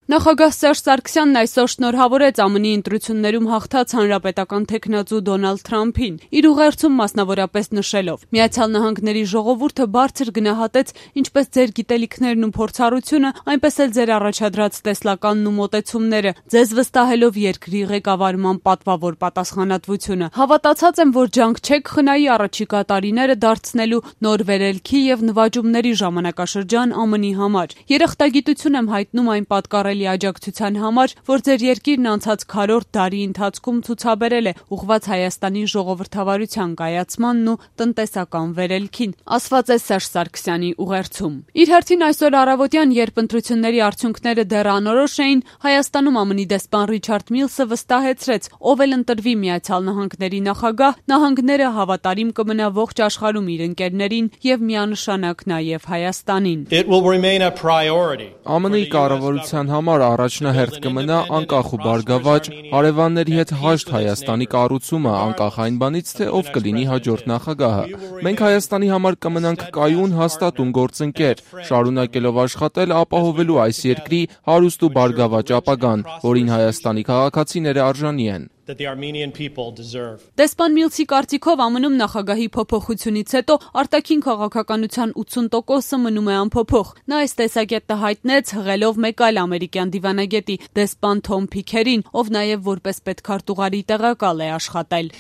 Նախագահ Սերժ Սարգսյանն այսօր շնորհավորեց ԱՄՆ-ի ընտրություններում հաղթած հանրապետական թեկնածու Դոնալդ Թրամփին, իր ուղերձում մասնավորապես նշելով. «Միացյալ Նահանգների ժողովուրդը բարձր գնահատեց ինչպես ձեր գիտելիքներն ու փորձառությունը, այնպես էլ ձեր առաջադրած տեսլականն ու մոտեցումները, ձեզ վստահելով երկրի ղեկավարման պատվավոր պատասխանատվությունը։ Հավատացած եմ, որ ջանք չեք խնայի առաջիկա տարիները դարձնելու նոր վերելքի եւ նվաճումների ժամանակաշրջան ԱՄՆ-ի համար։ Երախտագիտություն եմ հայտնում այն պատկառելի աջակցության համար, որ ձեր երկիրն անցած քառորդ դարի ընթացքում ցուցաբերել է ուղղված Հայաստանի ժողովրդավարության կայացմանն ու տնտեսական վերելքին», ասված է Սերժ Սարգսյանի ուղերձում։ Իր հերթին այսօր առավոտյան, երբ ընտրությունների արդյունքները դեռ անորոշ էին, Հայաստանում ԱՄՆ-ի դեսպան Ռիչարդ Միլսը վստահեցրեց, ով էլ ընտրվի Միացյալ Նահանգների նախագահ, նահանգները հավատարիմ կմնա ողջ աշխարհում իր ընկերներին եւ միանշանակ նաեւ Հայաստանին։ ԱՄՆ-ի կառավարության համար առաջնահերթ կմնա անկախ ու բարգավաճ հարևանների հետ հաշտ Հայաստանի կառուցումը, անկախ այն բանից, թե ով կլինի հաջորդ նախագահը։ Մենք Հայաստանի համար կմնանք կայուն, հաստատուն գործընկեր, շարունակելով աշխատել ապահովելու այս երկրի հարուստ ու բարգավաճ ապագան, որին Հայաստանի քաղաքացիները արժանի են։ Դեսպան Միլսի կարծիքով ԱՄՆ-ում նախագահի փոփոխությունից հետո արտաքին քաղաքականության 80%-ը մնում է անփոփոխ։ Նա այս տեսակետը հայտնեց, հղելով մեկ այլ ամերիկյան դիվանագետի, դեսպան Թոմ Փիքերին, ով նաև որպես պետքարտուղարի տեղակալ է աշխատել։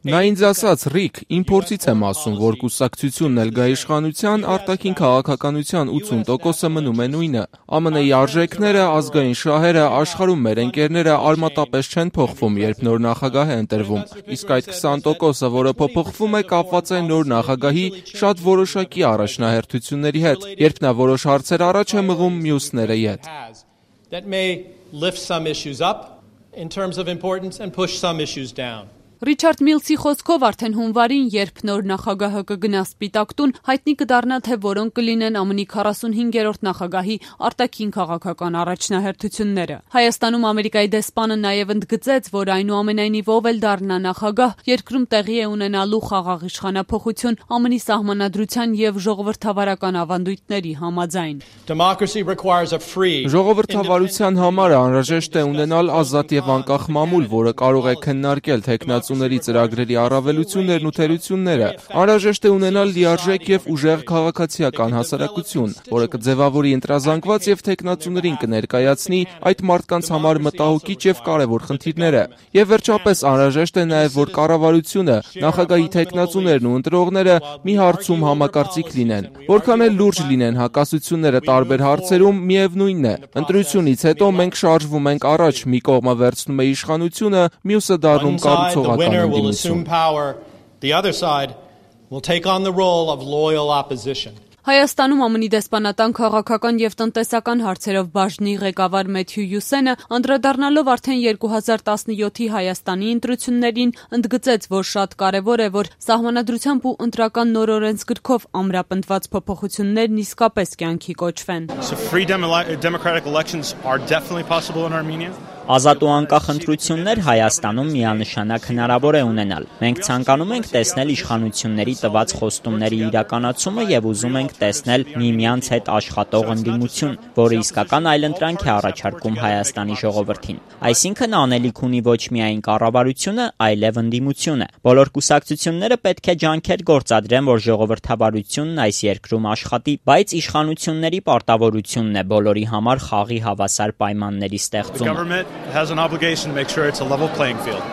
Նա ինձ ասաց. «Ռիկ, իմ փորձից եմ ասում, որ կուսակցությունն էլ գա իշխանության, արտաքին քաղաքականության 80%-ը մնում է նույնը։ ԱՄՆ-ի արժեքները, ազգային շահերը, աշխարհում մեր ընկերները արմատապես չեն փոխվում, երբ նոր նախագահ է ընտրվում։ Իսկ այդ 20%-ը, որը փոփոխվում է, կապված է նոր նախագահի շատ որոշակի առաջնահերթությունների հետ, երբ նա որոշ հարցեր առաջ է մղում մյուսները ետ»։ Ռիչարդ Միլսի խոսքով արդեն հունվարին, երբ նոր նախագահը կգնա Սպիտակ տուն, հայտնի կդառնա, թե որոնք կլինեն ԱՄՆ-ի 45-րդ նախագահի արտաքին քաղաքական առաջնահերթությունները։ Հայաստանում Ամերիկայի դեսպանը նաև ընդգծեց, որ այնուամենայնիվ ով էլ դառնա նախագահ, երկրում տեղի է ունենալու խաղաղ իշխանափոխություն ԱՄՆ-ի սահմանադրության եւ ժողովրդավարական ավանդույթների համաձայն։ Ժողովրդավարության համար անհրաժեշտ է ունենալ ազատ եւ անկախ մամուլ, որը կարող է քննարկել թեկնածուների ծրագրերի առավելություններն ու թերությունները։ Անհրաժեշտ է ունենալ լիարժեք եւ ուժեղ քաղաքացիական հասարակություն, որը կձևավորի ընտրազանգված եւ թեկնածուներին կներկայացնի այդ մարդկանց համար մտահոգիչ եւ կարեւոր խնդիրները։ Եվ վերջապես անհրաժեշտ է նաեւ, որ կառավարությունը, նախագահի թեկնածուներն ու ընտրողները մի հարցում համակարծիք լինեն։ Որքան էլ լուրջ լինեն հակասությունները տարբեր հարցերում, միևնույնն է, ընտրությունից հետո մենք շարժվում ենք առաջ, մի կողմը վերցնում է իշխանությունը, մյուսը դառնում կառուցողական ընդդիմություն։ Հայաստանում ԱՄՆ-ի դեսպանատան քաղաքական եւ տնտեսական հարցերով բաժնի ղեկավար Մեթյու Յուսենը, անդրադառնալով արդեն 2017-ի Հայաստանի ընտրություններին, ընդգծեց, որ շատ կարեւոր է, որ սահմանադրությամբ ու ընտրական նոր օրենսգրքով ամրապնդված փոփոխություններն իսկապես կյանքի կոչվեն։ Ազատ ու անկախ ընտրություններ Հայաստանում միանշանակ հնարավոր է ունենալ։ Մենք ցանկանում ենք տեսնել իշխանությունների տված խոստումների իրականացումը եւ ուզում ենք տեսնել միմյանց հետ աշխատող ընդդիմություն, որը իսկական այլընտրանք է առաջարկում Հայաստանի ժողովրդին։ Այսինքն անելիք ունի ոչ միայն կառավարությունը, այլև ընդդիմությունը։ Բոլոր կուսակցությունները պետք է ջանքեր գործադրեն, որ ժողովրդավարությունն այս երկրում աշխատի, բայց իշխանությունների պարտավորությունն է բոլորի համար խաղի հավասար պայմանների ստեղծումը։ Has an obligation to make sure it's a level playing field.